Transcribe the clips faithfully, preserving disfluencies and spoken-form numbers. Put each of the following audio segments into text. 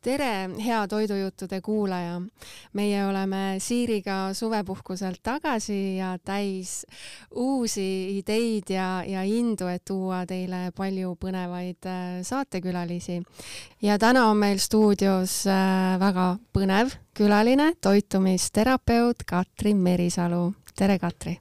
tere, hea toidujuttude kuulaja! Meie oleme Siiriga suvepuhkuselt tagasi ja täis uusi ideid ja, ja indu, et tuua teile palju põnevaid saatekülalisi. Ja täna on meil stuudios väga põnev külaline, toitumisterapeut Katri Merisalu. Tere, Katri!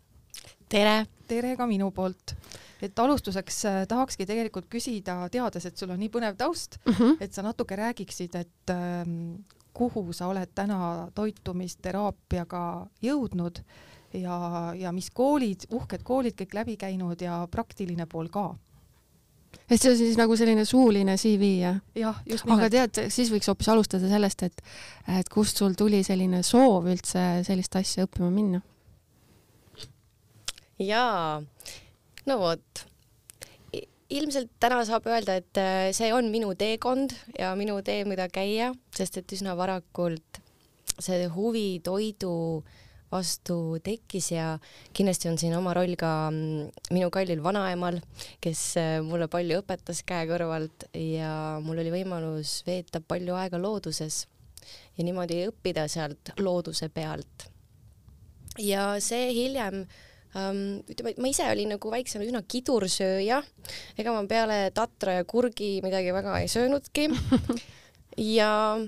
Tere! Tere ka minu poolt. Et alustuseks tahakski tegelikult küsida, teades, et sul on nii põnev taust, uh -huh. et sa natuke räägiksid, et ähm, kuhu sa oled täna toitumisteraapiaga jõudnud ja, ja mis koolid, uhked koolid kõik läbi käinud ja praktiline pool ka. Et see on siis nagu selline suuline C V, jah? Jah, just nimelt. Aga tead, siis võiks hoopis alustada sellest, et, et kust sul tuli selline soov üldse sellist asja õppima minna? Jaa, no vot. Ilmselt täna saab öelda, et see on minu teekond ja minu tee, mida käia, sest et üsna varakult see huvi toidu vastu tekkis ja kindlasti on siin oma roll ka minu kallil vanaemal, kes mulle palju õpetas käe kõrvalt ja mul oli võimalus veeta palju aega looduses ja niimoodi õppida sealt looduse pealt. Ja see hiljem Um, ütleme, et ma ise olin nagu väiksena üsna kidursööja, ega ma peale tatra ja kurgi midagi väga ei söönudki ja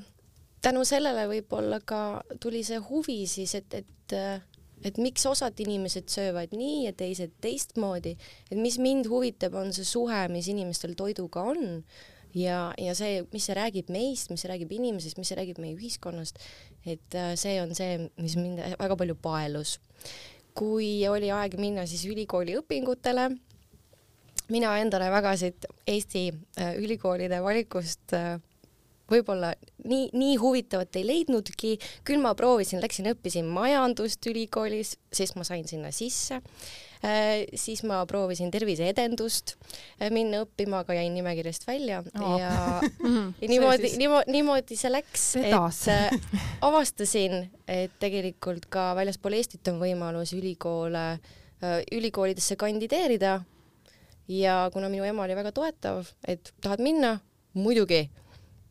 tänu sellele võib-olla ka tuli see huvi siis, et, et, et miks osad inimesed söövad nii ja teised teistmoodi, et mis mind huvitab, on see suhe, mis inimestel toiduga on ja, ja see, mis see räägib meist, mis see räägib inimesest, mis see räägib meie ühiskonnast, et see on see, mis mind väga palju paelus. Kui oli aeg minna siis ülikooli õpingutele, mina endale väga siit Eesti ülikoolide valikust võib-olla nii, nii huvitavat ei leidnudki, küll ma proovisin, läksin õppisin majandust ülikoolis, sest ma sain sinna sisse, siis ma proovisin terviseedendust minna õppima, aga jäin nimekirjast välja oh. ja, ja niimoodi, siis... niimoodi, niimoodi see läks, Vedas. et avastasin, et tegelikult ka väljaspool Eestit on võimalus ülikoole, ülikoolidesse kandideerida ja kuna minu ema oli väga toetav, et tahad minna, muidugi,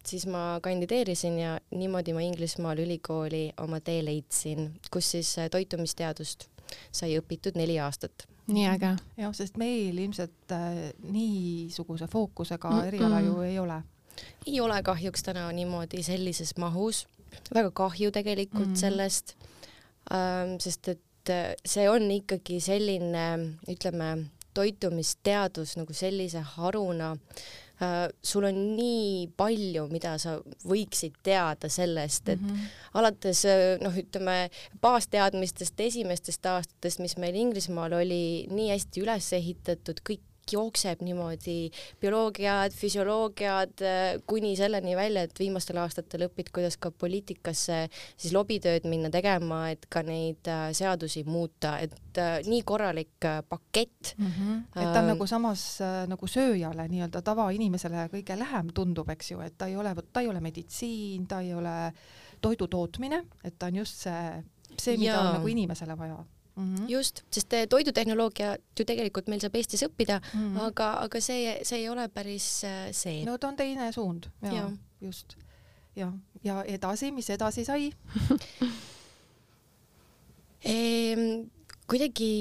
siis ma kandideerisin ja niimoodi ma Inglismaal ülikooli oma tee leidsin, kus siis toitumisteadust sai õpitud neli aastat. Nii äge. Jah, sest meil ilmselt äh, niisuguse fookusega mm -mm. eriala ju ei ole. Ei ole kahjuks täna niimoodi sellises mahus. Väga kahju tegelikult mm -hmm. sellest, ähm, sest et see on ikkagi selline, ütleme, toitumisteadus nagu sellise haruna. Uh, sul on nii palju, mida sa võiksid teada sellest, et mm -hmm. alates noh, ütleme, baasteadmistest esimestest aastatest, mis meil Inglismaal oli nii hästi üles ehitatud, kõik jookseb niimoodi, bioloogiad, füsioloogiad, kuni selleni välja, et viimastel aastatel õpid, kuidas ka poliitikasse siis lobitööd minna tegema, et ka neid seadusi muuta, et nii korralik pakett. Mm-hmm. Et ta on nagu samas nagu sööjale, nii-öelda tavainimesele kõige lähem tundub, eks ju, et ta ei ole, ta ei ole meditsiin, ta ei ole toidu tootmine, et ta on just see, see mida ja. on nagu inimesele vaja. Mm-hmm. Just, sest toidutehnoloogia ju tegelikult meil saab Eestis õppida, mm-hmm. aga, aga see, see ei ole päris see. No ta on teine suund, ja, ja. just. Ja, ja edasi, mis edasi sai? ehm, kuidagi,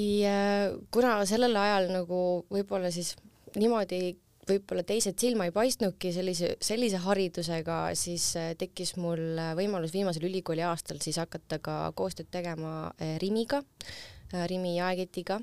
kuna sellel ajal nagu võib-olla siis niimoodi võib-olla teised silma ei paistnudki sellise, sellise haridusega, siis tekkis mul võimalus viimasel ülikooli aastal siis hakata ka koostööd tegema Rimiga, Rimi jaeketiga,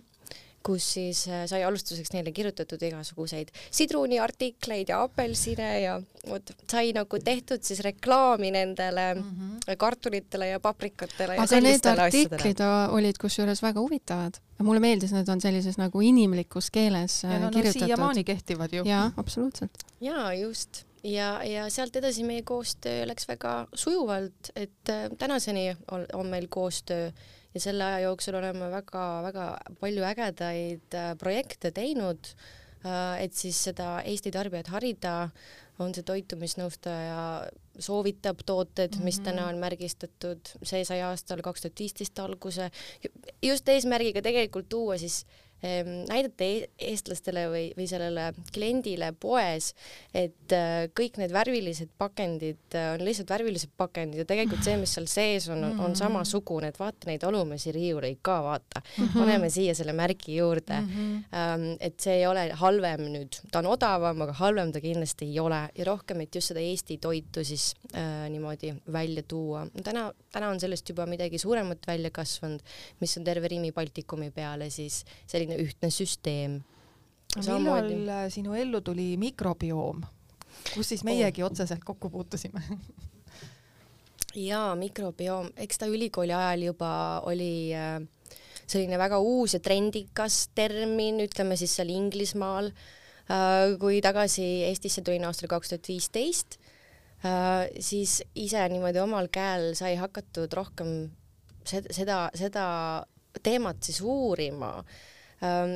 kus siis sai alustuseks neile kirjutatud igasuguseid sidruniartikleid ja apelsine ja võt, sai nagu tehtud siis reklaami nendele mm -hmm. kartulitele ja paprikatele. Aga ja need artiklid asjadele. Olid kusjuures väga huvitavad. Mulle meeldis, need on sellises nagu inimlikus keeles ja no, kirjutatud. Ja siiamaani kehtivad ju. Jaa, absoluutselt. Jaa, just. Ja, ja sealt edasi meie koostöö läks väga sujuvalt, et tänaseni on, on meil koostöö ja selle aja jooksul oleme väga, väga palju ägedaid projekte teinud, et siis seda Eesti tarbijat harida, on see toitumisnõustaja soovitab tooted, mm-hmm. mis täna on märgistatud, see sai aastal kaks tuhat viisteist alguse, just eesmärgiga tegelikult tuua siis näidata eestlastele või, või sellele kliendile poes, et kõik need värvilised pakendid on lihtsalt värvilised pakendid ja tegelikult see, mis seal sees on, on samasugune, et vaata neid olumesi riiuleid ka, vaata. Paneme siia selle märgi juurde. Et see ei ole halvem nüüd, ta on odavam, aga halvem ta kindlasti ei ole ja rohkem, et just seda Eesti toitu siis äh, niimoodi välja tuua. Täna, täna on sellest juba midagi suuremat välja kasvanud, mis on terve Rimi Baltikumi peale siis selline ühtne süsteem. Millal sinu ellu tuli mikrobioom, kus siis meiegi oh. otseselt kokku puutusime? Jaa, mikrobioom, eks ta ülikooli ajal juba oli selline väga uus ja trendikas termin, ütleme siis seal Inglismaal, kui tagasi Eestisse tulin aastal kaks tuhat viisteist, siis ise niimoodi omal käel sai hakatud rohkem seda, seda teemat siis uurima.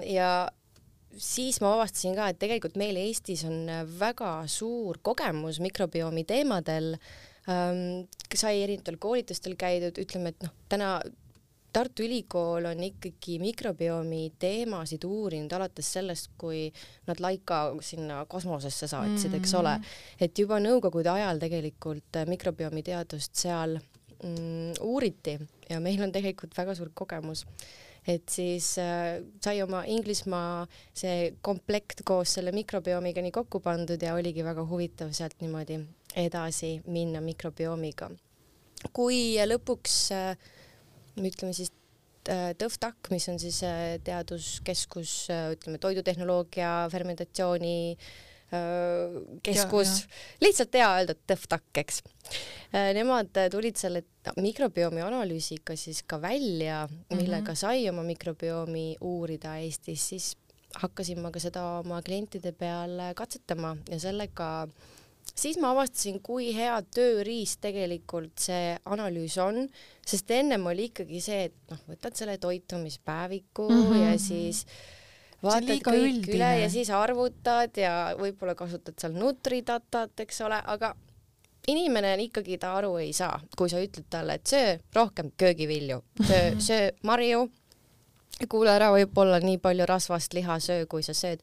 Ja siis ma avastasin ka, et tegelikult meil Eestis on väga suur kogemus mikrobiomi teemadel. Sai erinevatel koolitustel käidud, ütleme, et noh, täna Tartu Ülikool on ikkagi mikrobiomi teemasid uurinud alates sellest, kui nad Laika sinna kosmosesse saatsid, eks ole. Et juba nõukogude ajal tegelikult mikrobiomi teadust seal mm, uuriti ja meil on tegelikult väga suur kogemus. Et siis äh, sai oma Inglismaa see komplekt koos selle mikrobiomiga nii kokku pandud ja oligi väga huvitav sealt niimoodi edasi minna mikrobiomiga. Kui lõpuks äh, ütleme siis TÜVTAK, mis on siis äh, teaduskeskus, äh, ütleme toidutehnoloogia, fermentatsiooni keskus, ja, ja. Lihtsalt hea öelda TÜVTAK, eks. Nemad tulid selle mikrobiomi analüüsiga siis ka välja, millega mm-hmm. sai oma mikrobiomi uurida Eestis, siis hakkasin ma ka seda oma klientide peal katsetama ja sellega siis ma avastasin, kui hea tööriist tegelikult see analüüs on, sest ennem oli ikkagi see, et noh, võtad selle toitumispäeviku mm-hmm. ja siis vaatad kõik üldine. Üle ja siis arvutad ja võib-olla kasutad seal Nutridatat, eks ole, aga inimene ikkagi ta aru ei saa, kui sa ütled talle, et söö rohkem köögivilju, söö, söö marju, kuule ära võib-olla nii palju rasvast liha söö, kui sa sööd.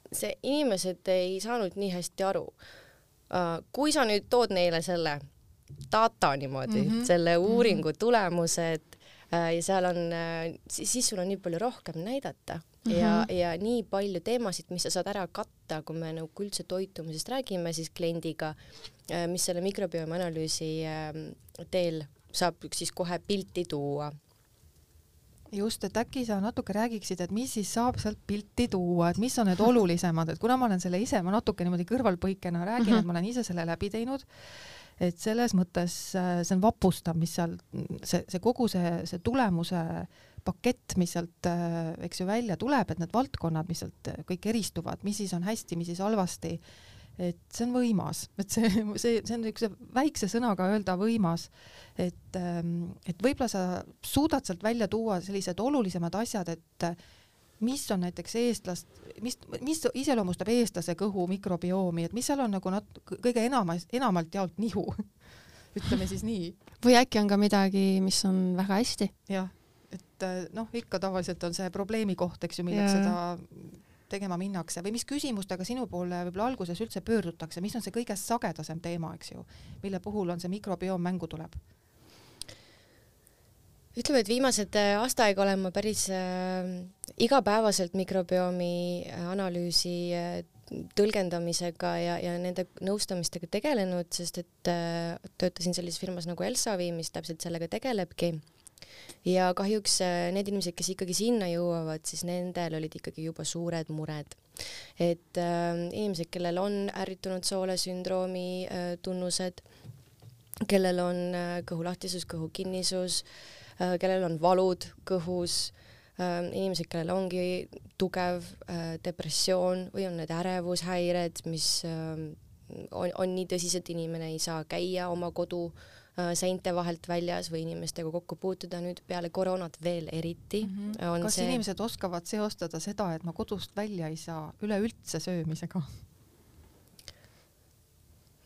See inimesed ei saanud nii hästi aru. Kui sa nüüd tood neile selle data niimoodi, mm-hmm. selle uuringu tulemused ja seal on, siis sul on nii palju rohkem näidata. Ja, ja nii palju teemasid, mis sa saad ära katta, kui me nagu üldse toitumisest räägime, siis kliendiga, mis selle mikrobiomi analüüsi teel saab siis kohe pilti tuua. Just, et äkki sa natuke räägiksid, et mis siis saab sealt pilti tuua, et mis on need olulisemad, et kuna ma olen selle ise, ma natuke niimoodi kõrvalpõikena räägin, mm-hmm. et ma olen ise selle läbi teinud, et selles mõttes see on vapustav, mis seal, see, see kogu see, see tulemuse pakett, mis sealt, eks ju, välja tuleb, et need valdkonnad, mis sealt kõik eristuvad, mis siis on hästi, mis siis halvasti, et see on võimas, et see, see, see on üks väikse sõnaga öelda võimas, et, et võib-olla sa suudad sealt välja tuua sellised olulisemad asjad, et mis on näiteks eestlast, mis, mis iseloomustab eestlase kõhu mikrobiomi, et mis seal on nagu nat-, kõige enam, enamalt jaolt nihu, ütleme siis nii. Või äkki on ka midagi, mis on väga hästi? Jah. Et noh, ikka tavaliselt on see probleemi koht, eks ju, milleks yeah. seda tegema minnakse või mis küsimustega sinu poole võib-olla alguses üldse pöördutakse, mis on see kõige sagedasem teema, eks ju, mille puhul on see mikrobioom mängu tuleb? Ütleme, et viimased aasta aega olen ma päris äh, igapäevaselt mikrobiomi analüüsi äh, tõlgendamisega ja, ja nende nõustamistega tegelenud, sest et äh, töötasin sellises firmas nagu Elsavi, mis täpselt sellega tegelebki. Ja kahjuks need inimesed, kes ikkagi sinna jõuavad, siis nendel olid ikkagi juba suured mured. Et äh, inimesed, kellel on ärritunud soolesündroomi äh, tunnused, kellel on äh, kõhulahtisus, kõhukinnisus, äh, kellel on valud kõhus, äh, inimesed, kellel ongi tugev äh, depressioon või on need ärevushäired, mis äh, on, on nii tõsised, inimene ei saa käia oma kodu seinte vahelt väljas või inimestega kokku puutuda nüüd peale koroonat veel eriti. Mm-hmm. On kas see... inimesed oskavad seostada seda, et ma kodust välja ei saa üleüldse söömisega?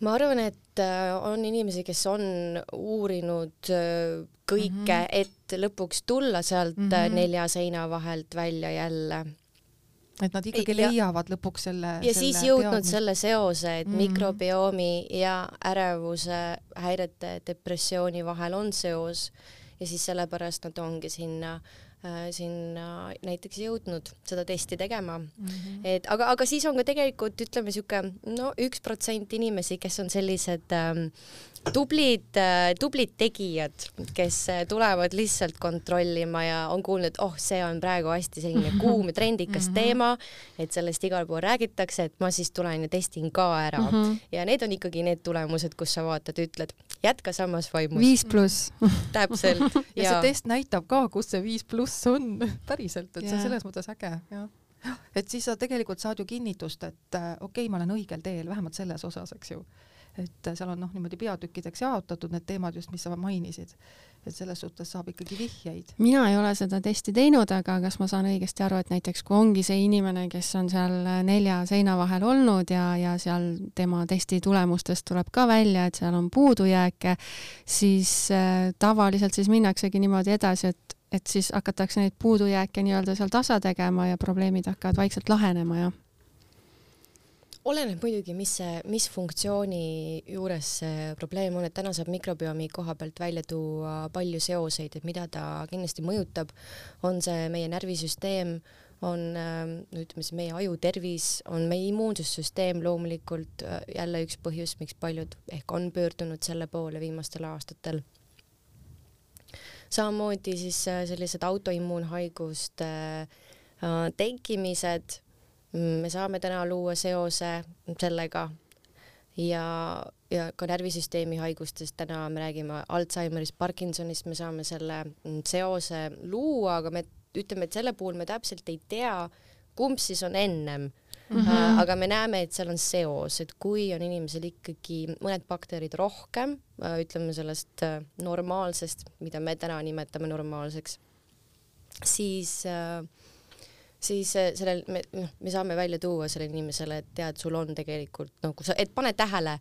Ma arvan, et on inimesi, kes on uurinud kõike mm, -hmm. et lõpuks tulla sealt mm -hmm. nelja seina vahelt välja jälle. Et nad ikkagi ja, leiavad lõpuks selle ja selle siis jõudnud teadmist. selle seose, et mm -hmm. mikrobiomi ja ärevuse häirete depressiooni vahel on seos ja siis sellepärast nad ongi sinna äh, sinna näiteks jõudnud seda testi tegema mm. -hmm. et aga, aga siis on ka tegelikult ütleme siuke no üks protsent inimesi, kes on sellised ähm, tublid, tublid tegijad, kes tulevad lihtsalt kontrollima ja on kuulnud, et oh, see on praegu hästi selline kuum ja trendikas mm -hmm. teema, et sellest igal pool räägitakse, et ma siis tulen ja testin ka ära mm. -hmm. ja need on ikkagi need tulemused, kus sa vaatad, ütled, jätka samas vaimus. viis pluss. täpselt. ja, ja see test näitab ka, kus see viis pluss on päriselt, et yeah. see on selles mõttes äge, jah. Et siis sa tegelikult saad ju kinnitust, et okei okay,, ma olen õigel teel, vähemalt selles osas, eks ju. Et seal on noh, niimoodi peatükkideks jaotatud need teemad just, mis sa mainisid. Et selles suhtes saab ikkagi vihjeid. Mina ei ole seda testi teinud, aga kas ma saan õigesti aru, et näiteks kui ongi see inimene, kes on seal nelja seina vahel olnud ja, ja seal tema testi tulemustest tuleb ka välja, et seal on puudujääke, siis äh, tavaliselt siis minnaksegi niimoodi edasi, et, et siis hakatakse neid puudujääke nii-öelda seal tasa tegema ja probleemid hakkavad vaikselt lahenema, jah. Oleneb muidugi, mis see, mis funktsiooni juures see probleem on, et täna saab mikrobiomi koha pealt välja tuua palju seoseid, et mida ta kindlasti mõjutab, on see meie närvisüsteem, on ütleme siis meie aju tervis, on meie immuunsussüsteem loomulikult jälle üks põhjus, miks paljud ehk on pöördunud selle poole viimastel aastatel. Samamoodi siis sellised autoimmuunhaiguste tekkimised, me saame täna luua seose sellega ja, ja ka närvisüsteemi haigustest täna me räägime Alzheimerist, Parkinsonist, me saame selle seose luua, aga me ütleme, et selle puhul me täpselt ei tea, kumb siis on ennem. Mm-hmm. Aga me näeme, et seal on seos, et kui on inimesel ikkagi mõned bakterid rohkem, ütleme sellest normaalsest, mida me täna nimetame normaalseks, siis siis sellel me, me saame välja tuua selle inimesele, et tead, sul on tegelikult nagu sa, et pane tähele,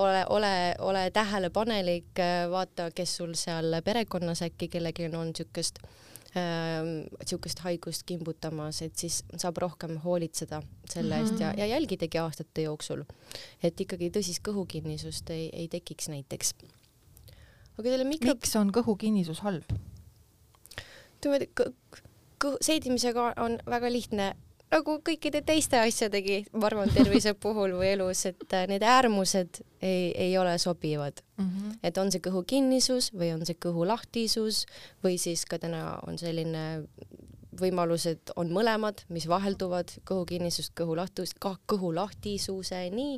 ole, ole, ole tähelepanelik, vaata, kes sul seal perekonnas äkki kellelgi on niisugust niisugust haigust kimbutamas, et siis saab rohkem hoolitseda selle eest mm-hmm. ja, ja jälgidagi aastate jooksul, et ikkagi tõsist kõhukinnisust ei, ei tekiks näiteks. Aga mikro... Miks on kõhukinnisus halb? Tõmmed, kõhu, seedimisega on väga lihtne, nagu kõikide teiste asjadegi, ma arvan, tervise puhul või elus, et need äärmused ei, ei ole sobivad. Mm-hmm. Et on see kõhukinnisus või on see kõhulahtisus või siis ka täna on selline võimalus, et on mõlemad, mis vahelduvad kõhukinnisust, kõhulahtus, ka kõhulahtisuseni.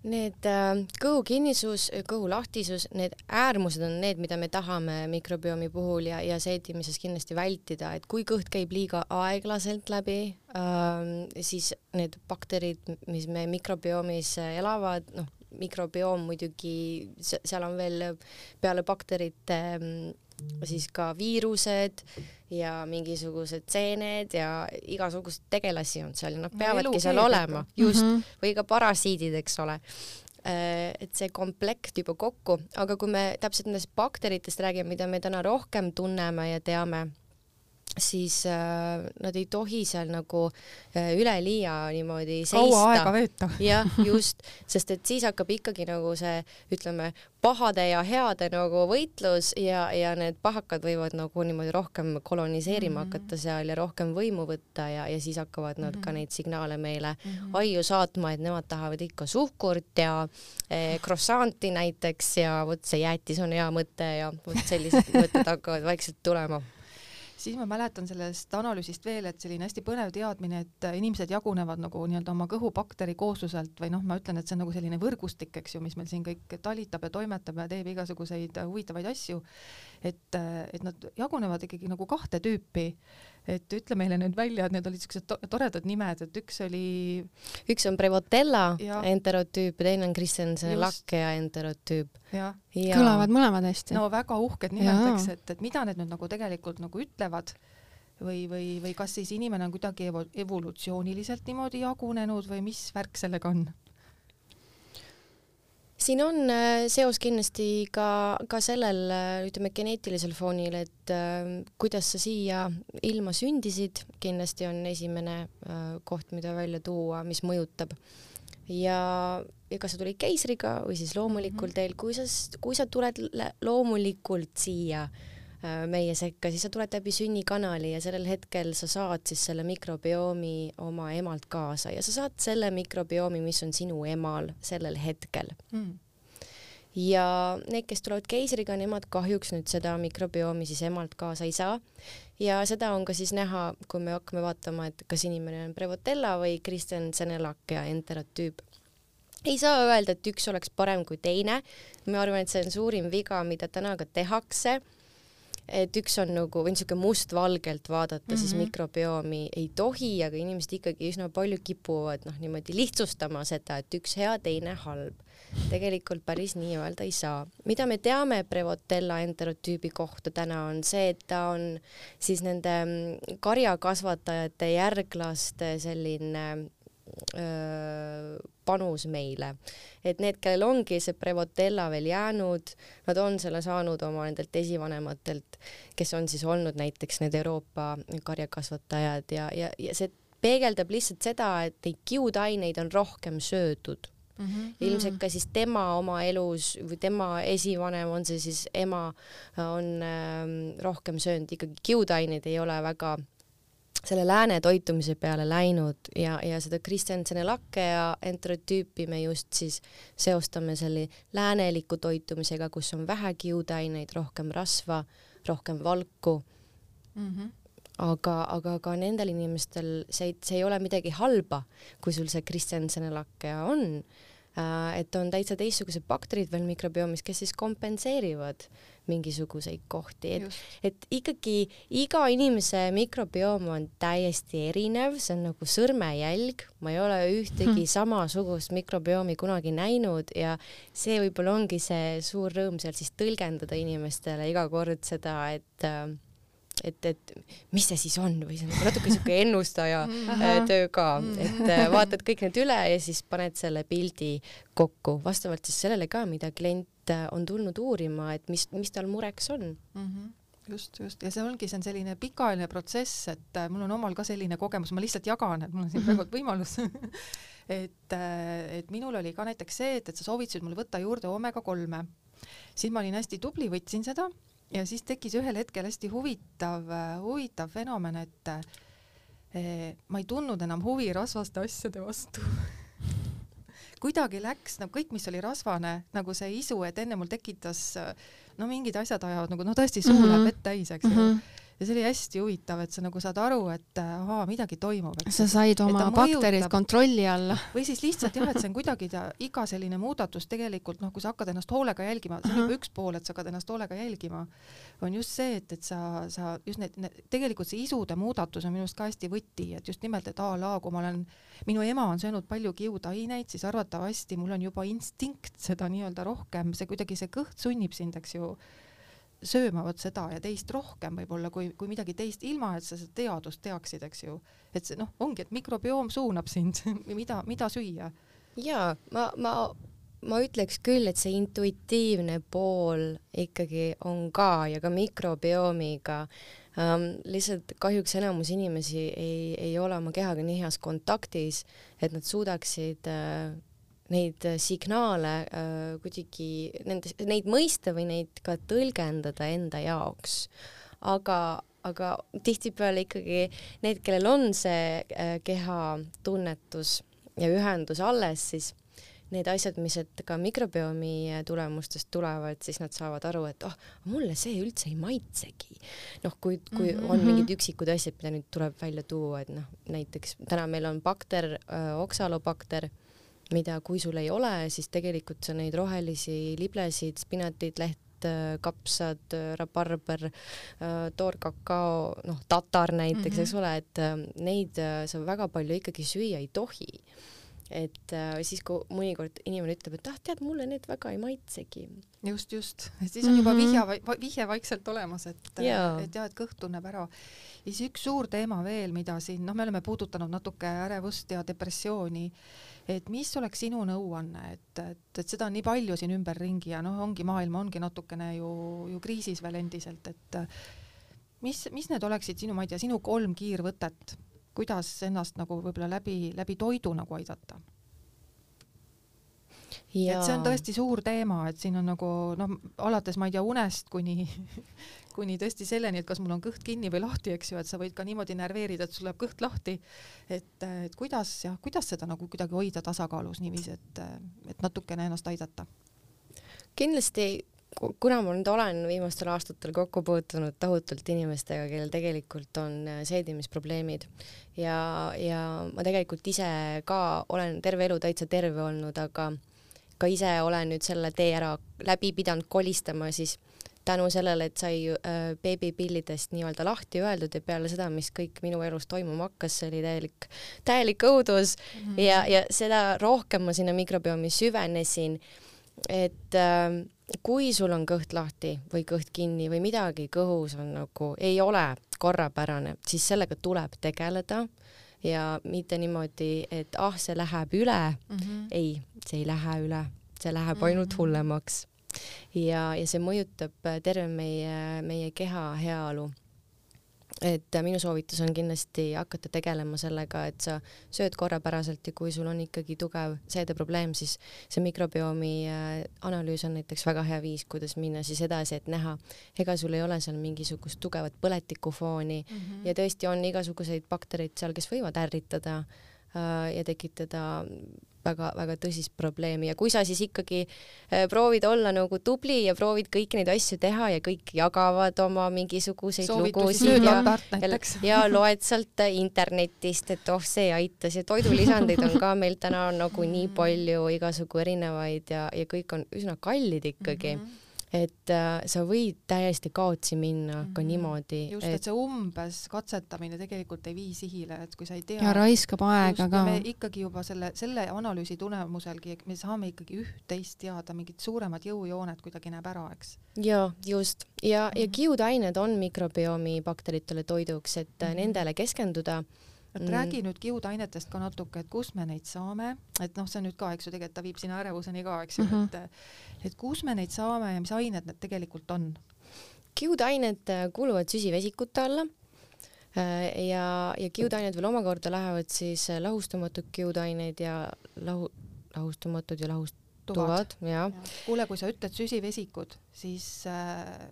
Need äh, kõhukinnisus, kõhulahtisus, need äärmused on need, mida me tahame mikrobiomi puhul ja, ja seedimises kindlasti vältida, et kui kõht käib liiga aeglaselt läbi, äh, siis need bakterid, mis me mikrobiomis elavad, noh, mikrobioom muidugi, seal on veel peale bakterite siis ka viirused ja mingisugused seened ja igasugused tegelasi on seal ja nad peavadki seal olema, just, mm-hmm. või ka parasiidid, eks ole. Et see komplekt juba kokku, aga kui me täpselt nendest bakteritest räägime, mida me täna rohkem tunneme ja teame, siis äh, nad ei tohi seal nagu äh, üleliia niimoodi seista. Kaua aega veeta. jah, just, sest et siis hakkab ikkagi nagu see, ütleme, pahade ja heade nagu võitlus ja, ja need pahakad võivad nagu niimoodi rohkem koloniseerima mm -hmm. hakata seal ja rohkem võimu võtta ja, ja siis hakkavad nad mm -hmm. ka neid signaale meile mm -hmm. aiu saatma, et nemad tahavad ikka suhkurt ja eh, croissanti näiteks ja vot see jäätis on hea mõte ja vot sellised mõtted hakkavad vaikselt tulema. Siis ma mäletan sellest analüüsist veel, et selline hästi põnev teadmine, et inimesed jagunevad nagu nii-öelda oma kõhubakteri koosluselt või noh, ma ütlen, et see on nagu selline võrgustik, eks ju, mis meil siin kõik talitab ja toimetab ja teeb igasuguseid huvitavaid asju, et, et nad jagunevad ikkagi nagu kahte tüüpi. Et ütle meile nüüd välja, et need olid sellised to toredad nimed, et üks oli... Üks on Prevotella enterotüüp ja teine on Christensen lakkea enterotüüp. Ja. Ja. Kõlavad mõlemad hästi. No väga uhked nimetaks, et, et mida need nüüd nagu tegelikult nagu ütlevad või, või, või kas siis inimene on kuidagi evo evolutsiooniliselt niimoodi jagunenud või mis värk sellega on? siin on seos kindlasti ka, ka sellel, ütleme, geneetilisel foonil, et äh, kuidas sa siia ilma sündisid, kindlasti on esimene äh, koht, mida välja tuua, mis mõjutab. Ja, ja kas sa tulid keisriga või siis loomulikul teel, kui sa, kui sa tuled loomulikult siia meie sekka, siis sa tuled läbi sünnikanali ja sellel hetkel sa saad siis selle mikrobiomi oma emalt kaasa ja sa saad selle mikrobiomi, mis on sinu emal sellel hetkel. Mm. Ja need, kes tulevad keisriga, nemad kahjuks nüüd seda mikrobiomi siis emalt kaasa ei saa. Ja seda on ka siis näha, kui me hakkame vaatama, et kas inimene on Prevotella või Christensen-Lackea enterotüüp. Ei saa öelda, et üks oleks parem kui teine. Ma arvan, et see on suurim viga, mida täna ka tehakse. Et üks on nagu, või niisugune must-valgelt vaadata, mm-hmm. siis mikrobiomi ei tohi, aga inimesed ikkagi üsna palju kipuvad noh, niimoodi lihtsustama seda, et üks hea, teine halb. Tegelikult päris nii öelda ei saa. Mida me teame Prevotella enterotüübi kohta täna on see, et ta on siis nende karjakasvatajate järglaste selline öö, panus meile. Et need, kellel ongi see Prevotella veel jäänud, nad on selle saanud oma nendelt esivanematelt, kes on siis olnud näiteks need Euroopa karjakasvatajad ja, ja, ja see peegeldab lihtsalt seda, et neid kiudaineid on rohkem söödud. Mm-hmm. Ilmselt ka siis tema oma elus või tema esivanem on see siis ema on ähm, rohkem söönud, ikkagi kiudaineid ei ole väga selle lääne toitumise peale läinud ja, ja seda Christensen-Lackea enterotüüpi me just siis seostame selle lääneliku toitumisega, kus on vähe kiudaineid, rohkem rasva, rohkem valku. Mm-hmm. Aga, aga ka nendel inimestel see, see ei ole midagi halba, kui sul see Christensen-Lackea on, äh, et on täitsa teistsugused bakterid veel mikrobiomis, kes siis kompenseerivad mingisuguseid kohti, et, et ikkagi iga inimese mikrobioom on täiesti erinev, see on nagu sõrmejälg, ma ei ole ühtegi hmm. samasugust mikrobiomi kunagi näinud ja see võib-olla ongi see suur rõõm seal siis tõlgendada inimestele iga kord seda, et et, et mis see siis on või see on natuke niisugune ennustaja töö ka, et vaatad kõik need üle ja siis paned selle pildi kokku, vastavalt siis sellele ka, mida klient on tulnud uurima, et mis, mis tal mureks on. Mm-hmm. Just, just. Ja see ongi, see on selline pikaajaline protsess, et mul on omal ka selline kogemus, ma lihtsalt jagan, et mul on siin praegu võimalus. et, et minul oli ka näiteks see, et, et sa soovitasid mul võtta juurde omega kolme. Siis ma olin hästi tubli, võtsin seda ja siis tekkis ühel hetkel hästi huvitav, huvitav fenomen, et eh, ma ei tundnud enam huvi rasvaste asjade vastu. Kuidagi läks nagu kõik, mis oli rasvane, nagu see isu, et enne mul tekitas no mingid asjad ajavad nagu no tõesti suu läheb mm-hmm. vett täis, eks mm-hmm. ja see oli hästi huvitav, et sa nagu saad aru, et ahaa, midagi toimub. Sa said oma bakterid kontrolli alla. Või siis lihtsalt jah, et see on kuidagi ta, iga selline muudatus tegelikult, noh, kui sa hakkad ennast hoolega jälgima, see on juba üks pool, et sa hakkad ennast hoolega jälgima, on just see, et, et sa, sa just need, need, tegelikult see isude muudatus on minust ka hästi võti, et just nimelt, et a la, kui ma olen, minu ema on söönud palju kiudaineid, siis arvatavasti mul on juba instinkt seda nii-öelda rohkem, see kuidagi see kõht sunnib sind, eks ju, söömavad seda ja teist rohkem võib-olla kui, kui midagi teist, ilma et sa seda teadust teaksid, eks ju. Et see noh, ongi, et mikrobioom suunab sind, mida, mida süüa. Jaa, ma, ma, ma ütleks küll, et see intuitiivne pool ikkagi on ka ja ka mikrobiomiga. Um, lihtsalt kahjuks enamus inimesi ei, ei ole oma kehaga nii heas kontaktis, et nad suudaksid uh, neid signaale äh, kuidagi, nende, neid mõista või neid ka tõlgendada enda jaoks. Aga, aga tihtipeale ikkagi need, kellel on see äh, keha tunnetus ja ühendus alles, siis need asjad, mis et ka mikrobiomi tulemustest tulevad, siis nad saavad aru, et oh, mulle see üldse ei maitsegi. Noh, kui, kui mm-hmm. on mingid üksikud asjad, mida nüüd tuleb välja tuua, et noh, näiteks täna meil on bakter, äh, oksalobakter, mida kui sul ei ole, siis tegelikult sa neid rohelisi liblesid, spinatid, leht, kapsad, rabarber, toorkakao, noh, tatar näiteks, mm-hmm. eks ole, et neid sa väga palju ikkagi süüa ei tohi. et äh, siis, kui mõnikord inimene ütleb, et ah, tead, mulle need väga ei maitsegi. just, just. Et siis on juba vihja, vihje vaikselt olemas, et, et jah, et kõht tunneb ära. Ja siis üks suur teema veel, mida siin, noh, me oleme puudutanud natuke ärevust ja depressiooni, et mis oleks sinu nõuanne, et, et, et seda on nii palju siin ümberringi ja noh, ongi maailm ongi natukene ju, ju kriisis veel endiselt, et mis, mis need oleksid sinu, ma ei tea, sinu kolm kiirvõtet, kuidas ennast nagu võib-olla läbi, läbi toidu nagu aidata? Ja. Et see on tõesti suur teema, et siin on nagu, noh, alates ma ei tea unest kuni, kuni tõesti selleni, et kas mul on kõht kinni või lahti, eks ju, et sa võid ka niimoodi nerveerida, et sul läheb kõht lahti, et, et kuidas, jah, kuidas seda nagu kuidagi hoida tasakaalus niiviisi, et, et natukene ennast aidata? Kindlasti, kuna ma nüüd olen viimastel aastatel kokku puutunud tohutult inimestega, kellel tegelikult on seedimisprobleemid ja, ja ma tegelikult ise ka olen terve elu täitsa terve olnud, aga ka ise olen nüüd selle tee ära läbi pidanud kolistama siis tänu sellele, et sai äh, beebipillidest nii-öelda lahti öeldud ja peale seda, mis kõik minu elus toimuma hakkas, see oli täielik, täielik õudus mm -hmm. ja, ja seda rohkem ma sinna mikrobiomi süvenesin, et äh, kui sul on kõht lahti või kõht kinni või midagi kõhus on nagu, ei ole korrapärane, siis sellega tuleb tegeleda ja mitte niimoodi, et ah, see läheb üle mm. -hmm. ei, see ei lähe üle, see läheb ainult mm -hmm. hullemaks. Ja, ja see mõjutab terve meie, meie keha heaolu. Et minu soovitus on kindlasti hakata tegelema sellega, et sa sööd korrapäraselt ja kui sul on ikkagi tugev seedeprobleem, siis see mikrobiomi analüüs on näiteks väga hea viis, kuidas minna siis edasi, et näha, ega sul ei ole seal mingisugust tugevat põletikufooni mm -hmm. ja tõesti on igasuguseid baktereid seal, kes võivad ärritada äh, ja tekitada väga-väga tõsist probleemi ja kui sa siis ikkagi äh, proovid olla nagu tubli ja proovid kõiki neid asju teha ja kõik jagavad oma mingisuguseid lugusid ja, ja, ja loed sealt internetist, et oh, see aitas ja toidulisandeid on ka meil täna nagu nii palju igasugu erinevaid ja, ja kõik on üsna kallid ikkagi. Mm -hmm. et äh, sa võid täiesti kaotsi minna mm -hmm. ka niimoodi. Just, et, et see umbes katsetamine tegelikult ei vii sihile, et kui sa ei tea. Ja raiskab aega ka. Me ikkagi juba selle, selle analüüsi tulemuselgi, me saame ikkagi üht-teist teada, mingid suuremad jõujooned kuidagi näeb ära, eks? Ja, just. Ja, ja kiudained on mikrobiomi bakteritele toiduks, et mm -hmm. nendele keskenduda. Et mm. räägi nüüd kiudainetest ka natuke, et kus me neid saame, et noh, see on nüüd ka, eks ju, tegelikult ta viib sinna ärevuseni ka, eks ju, mm -hmm. et, et kus me neid saame ja mis ained need tegelikult on? Kiudained kuuluvad süsivesikute alla ja, ja kiudained veel omakorda lähevad siis lahustamatud kiudaineid ja lahu, lahustamatud ja lahustuvad. Ja. Ja. Kuule, kui sa ütled süsivesikud, siis äh,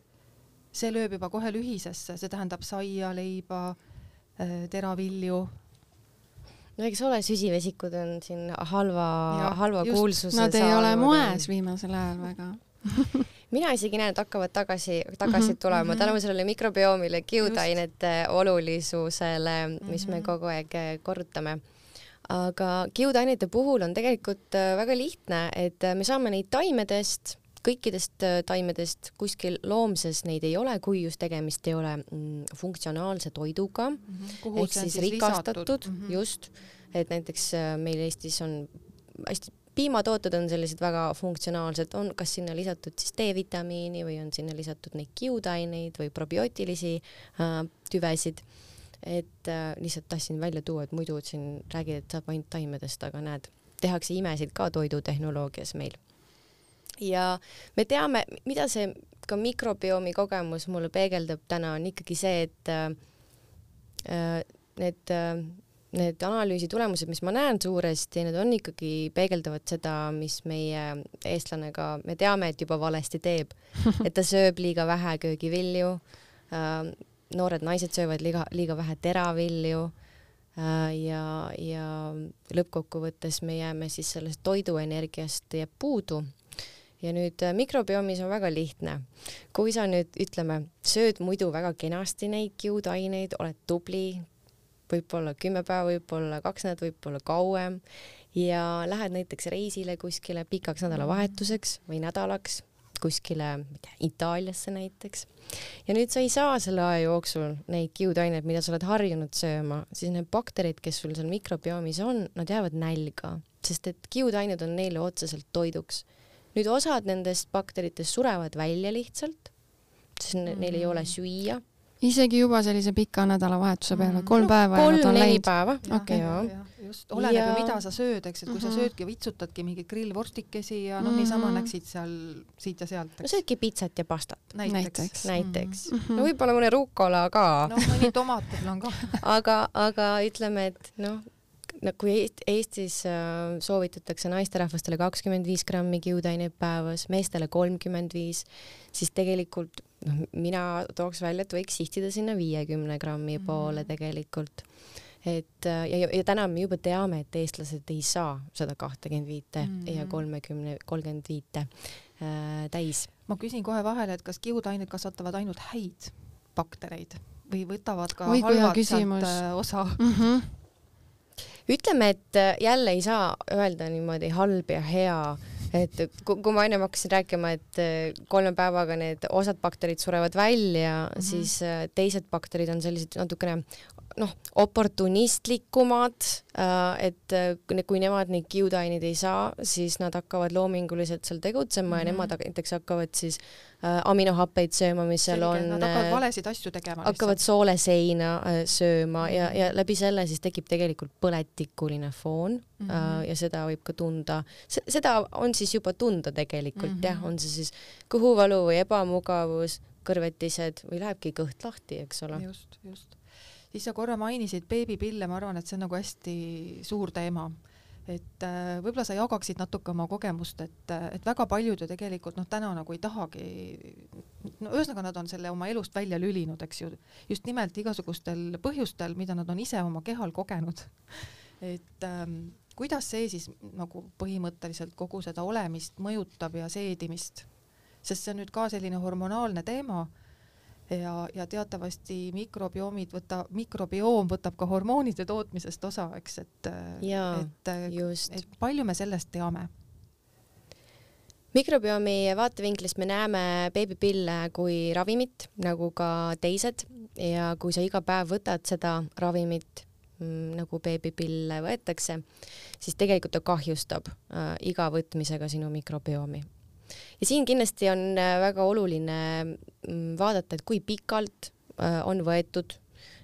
see lööb juba kohe lühisesse, see tähendab saia, leiba, teravilju. No eks ole, süsivesikud on siin halva, ja, halva just, kuulsuse nad ei ole moes viimasel ajal väga. Mina isegi näen, et hakkavad tagasi, tagasi tulema mm -hmm. tänu sellele mikrobioomile, kiudainete olulisusele, mis mm -hmm. me kogu aeg korrutame. Aga kiudainete puhul on tegelikult väga lihtne, et me saame neid taimedest, kõikidest taimedest, kuskil loomses neid ei ole, kui just tegemist ei ole mm, funktsionaalse toiduga mm, -hmm. ehk siis, siis rikastatud, mm -hmm. just, et näiteks meil Eestis on hästi, piimatooted on sellised väga funktsionaalsed, on kas sinna lisatud siis D-vitamiini või on sinna lisatud neid kiudaineid või probiootilisi äh, tüvesid, et äh, lihtsalt tahtsin välja tuua, et muidu siin räägid, et saab ainult taimedest, aga näed, tehakse imesid ka toidutehnoloogias meil. Ja me teame, mida see ka mikrobiomi kogemus mulle peegeldab täna, on ikkagi see, et äh, need, äh, need analüüsi tulemused, mis ma näen suuresti, need on ikkagi peegeldavad seda, mis meie eestlane ka, me teame, et juba valesti teeb, et ta sööb liiga vähe köögivilju, äh, noored naised söövad liiga, liiga vähe teravilju äh, ja, ja lõppkokkuvõttes me jääme siis sellest toiduenergiast jääb puudu. Ja nüüd mikrobiomis on väga lihtne. Kui sa nüüd, ütleme, sööd muidu väga kenasti neid kiudaineid, oled tubli, võib-olla kümme päeva, võib-olla kaks nädalat, võib-olla kauem ja lähed näiteks reisile kuskile pikaks nädalavahetuseks või nädalaks, kuskile Itaaliasse näiteks. Ja nüüd sa ei saa selle aja jooksul neid kiudaineid, mida sa oled harjunud sööma, siis need bakterid, kes sul seal mikrobiomis on, nad jäävad nälga, sest et kiudained on neile otseselt toiduks. Nüüd osad nendest bakteritest surevad välja lihtsalt, sest mm. neil ei ole süüa. Isegi juba sellise pika nädalavahetuse peale, kolm no, päeva kolm, ja nad on neli läinud. päeva. Okay. Ja, ja, just, oleneb ja... ju mida sa sööd, eks, et kui mm-hmm. sa söödki vitsutadki mingi grillvorstikesi ja no mm-hmm. niisama näksid seal siit ja sealt. No söödki pitsat ja pastat. Näiteks. Näiteks. Mm-hmm. No võib-olla mõne rukola ka. No mõni tomat on ka. aga, aga ütleme, et noh, no kui Eestis äh, soovitatakse naisterahvastele kakskümmend viis grammi kiudaineid päevas, meestele kolmkümmend viis, siis tegelikult no, mina tooks välja, et võiks sihtida sinna viiekümne grammi mm. poole tegelikult. Et, ja, ja täna me juba teame, et eestlased ei saa seda kakskümmend viite mm. ja kolmekümne, kolmkümmend viite äh, täis. Ma küsin kohe vahele, et kas kiudained kasvatavad ainult häid baktereid või võtavad ka Oi, halvad sealt osa? Mm-hmm. Ütleme, et jälle ei saa öelda niimoodi halb ja hea, et kui, kui ma ennem hakkasin rääkima, et kolme päevaga need osad bakterid surevad välja, mm-hmm. siis teised bakterid on sellised natukene noh, oportunistlikumad, et kui nemad neid kiudaineid ei saa, siis nad hakkavad loominguliselt seal tegutsema mm-hmm. ja nemad näiteks hakkavad siis aminohappeid sööma, mis seal on. Nad hakkavad valesid asju tegema. Hakkavad sooleseina sööma mm-hmm. ja, ja läbi selle siis tekib tegelikult põletikuline foon mm-hmm. ja seda võib ka tunda. Seda on siis juba tunda tegelikult, mm-hmm. jah, on see siis kõhuvalu või ebamugavus, kõrvetised või lähebki kõht lahti, eks ole. Just, just. Siis sa korra mainisid beebipille, ma arvan, et see on nagu hästi suur teema. Et äh, võib-olla sa jagaksid natuke oma kogemust, et, et väga paljud ju tegelikult noh, täna nagu ei tahagi, no ühesõnaga nad on selle oma elust välja lülinud, eks ju, just nimelt igasugustel põhjustel, mida nad on ise oma kehal kogenud. Et ähm, kuidas see siis nagu põhimõtteliselt kogu seda olemist mõjutab ja seedimist? Sest see on nüüd ka selline hormonaalne teema, ja, ja teatavasti mikrobioomid võta, mikrobioom võtab ka hormoonide tootmisest osa, eks, et, et, et palju me sellest teame? Mikrobiomi vaatevinklist me näeme beebipille kui ravimit, nagu ka teised, ja kui sa iga päev võtad seda ravimit, nagu beebipille võetakse, siis tegelikult ta kahjustab äh, iga võtmisega sinu mikrobiomi. Ja siin kindlasti on väga oluline vaadata, et kui pikalt on võetud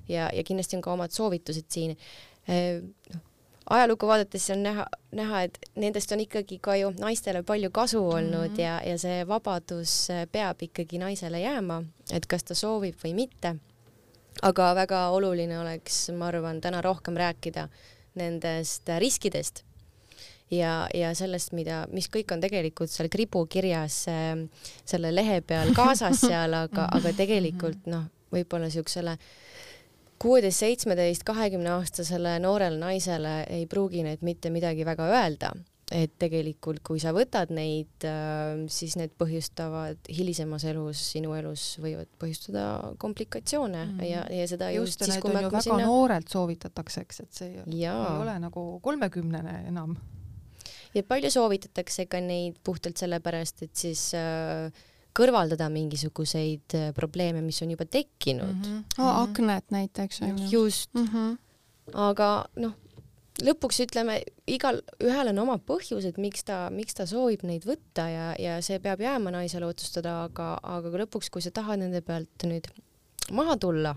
ja, ja kindlasti on ka omad soovitused siin. Ajalugu vaadates on näha, näha, et nendest on ikkagi ka ju naistele palju kasu olnud mm-hmm. ja, ja see vabadus peab ikkagi naisele jääma, et kas ta soovib või mitte. Aga väga oluline oleks, ma arvan, täna rohkem rääkida nendest riskidest. Ja, ja sellest, mida, mis kõik on tegelikult seal kribukirjas äh, selle lehe peal kaasas seal, aga, aga tegelikult noh, võib-olla siuksele kuueteist, seitsmeteist, kahekümne aastasele noorele naisele ei pruugi need mitte midagi väga öelda, et tegelikult kui sa võtad neid, äh, siis need põhjustavad hilisemas elus, sinu elus võivad põhjustada komplikatsioone mm. ja, ja seda just, just siis, kui me hakkame sinna... väga noorelt soovitatakse, eks, et see ja. ei ole nagu kolmekümnene enam. Ja palju soovitatakse ka neid puhtalt sellepärast, et siis äh, kõrvaldada mingisuguseid äh, probleeme, mis on juba tekkinud. Mm-hmm. Oh, aknet näiteks. Just. Mm-hmm. Aga noh, lõpuks ütleme, igal ühel on oma põhjused, miks ta, miks ta soovib neid võtta ja, ja see peab jääma naisele otsustada, aga, aga lõpuks, kui sa tahad nende pealt nüüd maha tulla,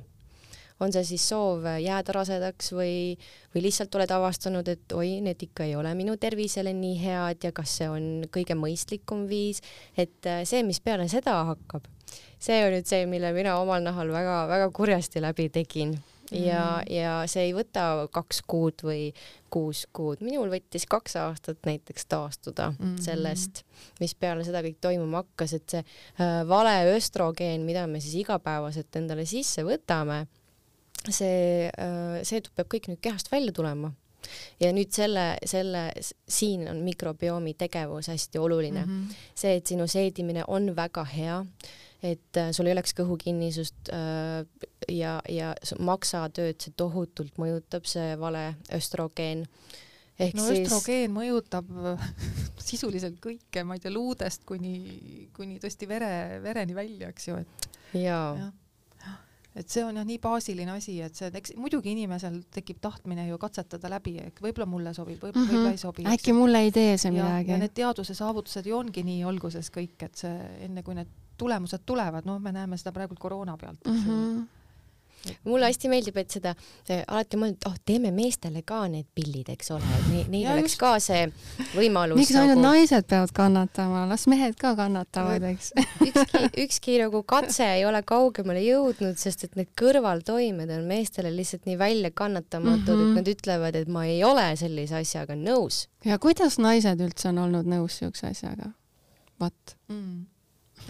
on see siis soov jääda rasedaks või, või lihtsalt oled avastanud, et oi, need ikka ei ole minu tervisele nii head ja kas see on kõige mõistlikum viis, et see, mis peale seda hakkab, see on nüüd see, mille mina omal nahal väga, väga kurjasti läbi tegin. Ja, mm. ja see ei võta kaks kuud või kuus kuud. Minul võttis kaks aastat näiteks taastuda mm. sellest, mis peale seda kõik toimuma hakkas, et see äh, vale östrogeen, mida me siis igapäevaselt endale sisse võtame, see, see peab kõik nüüd kehast välja tulema. Ja nüüd selle, selle, siin on mikrobiomi tegevus hästi oluline. Mm-hmm. See, et sinu seedimine on väga hea, et sul ei oleks kõhukinnisust ja, ja maksatööd, see tohutult mõjutab, see vale östrogeen. ehk no siis östrogeen mõjutab sisuliselt kõike, ma ei tea, luudest kuni, kuni tõesti vere, vereni välja, eks ju, et jaa ja. Et see on jah nii baasiline asi, et see, eks muidugi inimesel tekib tahtmine ju katsetada läbi, et võib-olla mulle sobib, võib-olla mm -hmm. ei sobi. Äkki mulle ei tee see ja, midagi. ja need teaduse saavutused ju ongi nii alguses kõik, et see enne kui need tulemused tulevad, noh, me näeme seda praegu koroona pealt, eks ju. Mm -hmm. mulle hästi meeldib, et seda äh, alati mõeldud, oh, teeme meestele ka need pillid, eks ole, et ne, neil Ja oleks just. ka see võimalus. miks ainult nagu... naised peavad kannatama, las mehed ka kannatavad, eks. ükski, ükski nagu katse ei ole kaugemale jõudnud, sest et need kõrvaltoimed on meestele lihtsalt nii välja kannatamatud mm, -hmm. et nad ütlevad, et ma ei ole sellise asjaga nõus. ja kuidas naised üldse on olnud nõus siukse asjaga? Vat mm.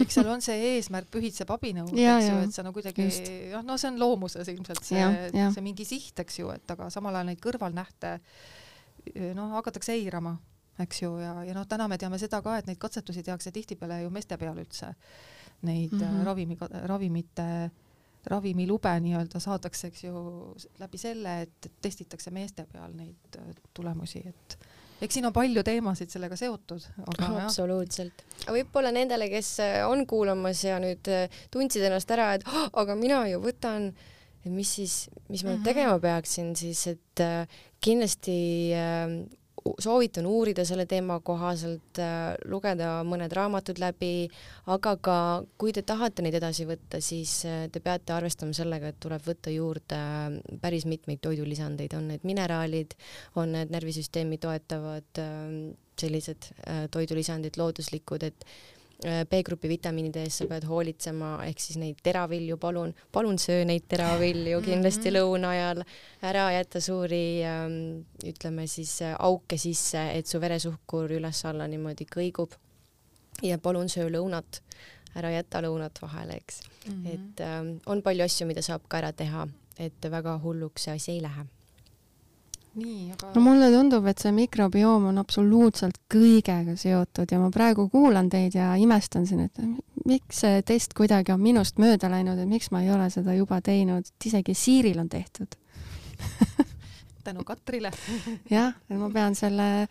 eks seal on see eesmärk pühitseb abinõu, Ja, eks ju, ja. et sa no kuidagi, jah, no see on loomuses ilmselt see, Ja, ja. see mingi siht, eks ju, et aga samal ajal neid kõrvalnähte noh, hakatakse eirama, eks ju, ja, ja noh, täna me teame seda ka, et neid katsetusi tehakse tihtipeale ju meeste peal üldse. Neid mm -hmm. ravimi, ravimite, ravimilube nii-öelda saadakse, eks ju, läbi selle, et testitakse meeste peal neid tulemusi, et eks siin on palju teemasid sellega seotud. Aga absoluutselt. Võib-olla nendele, kes on kuulamas ja nüüd tundsid ennast ära, et oh, aga mina ju võtan, et mis siis, mis ma mm -hmm. tegema peaksin, siis et äh, kindlasti äh, soovitan uurida selle teema kohaselt, äh, lugeda mõned raamatud läbi, aga ka kui te tahate neid edasi võtta, siis äh, te peate arvestama sellega, et tuleb võtta juurde äh, päris mitmeid toidulisandeid, on need mineraalid, on need närvisüsteemi toetavad äh, sellised äh, toidulisandid, looduslikud, et B-grupi vitamiinide eest sa pead hoolitsema, ehk siis neid teravilju, palun, palun söö neid teravilju kindlasti mm -hmm. lõuna ajal, ära jätta suuri ähm, ütleme siis auke sisse, et su veresuhkur üles-alla niimoodi kõigub ja palun söö lõunat, ära jäta lõunat vahele, eks mm. -hmm. et ähm, on palju asju, mida saab ka ära teha, et väga hulluks see asi ei lähe. Nii, aga... no mulle tundub, et see mikrobioom on absoluutselt kõigega seotud ja ma praegu kuulan teid ja imestan siin, et miks see test kuidagi on minust mööda läinud, et miks ma ei ole seda juba teinud, isegi Siiril on tehtud. tänu Katrile. jah, ma pean selle,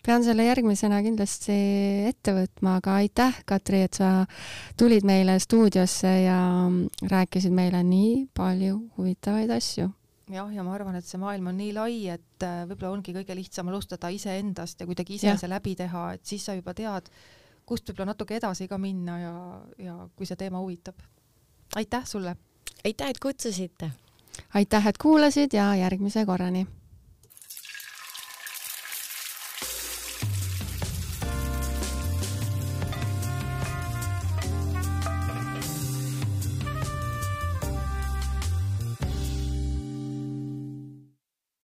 pean selle järgmisena kindlasti ette võtma, aga aitäh, Katri, et sa tulid meile stuudiosse ja rääkisid meile nii palju huvitavaid asju. jah, ja ma arvan, et see maailm on nii lai, et võib-olla ongi kõige lihtsam alustada iseendast ja kuidagi ise ja. see läbi teha, et siis sa juba tead, kust võib-olla natuke edasi ka minna ja, ja kui see teema huvitab. aitäh sulle! aitäh, et kutsusite! aitäh, et kuulasid ja järgmise korrani!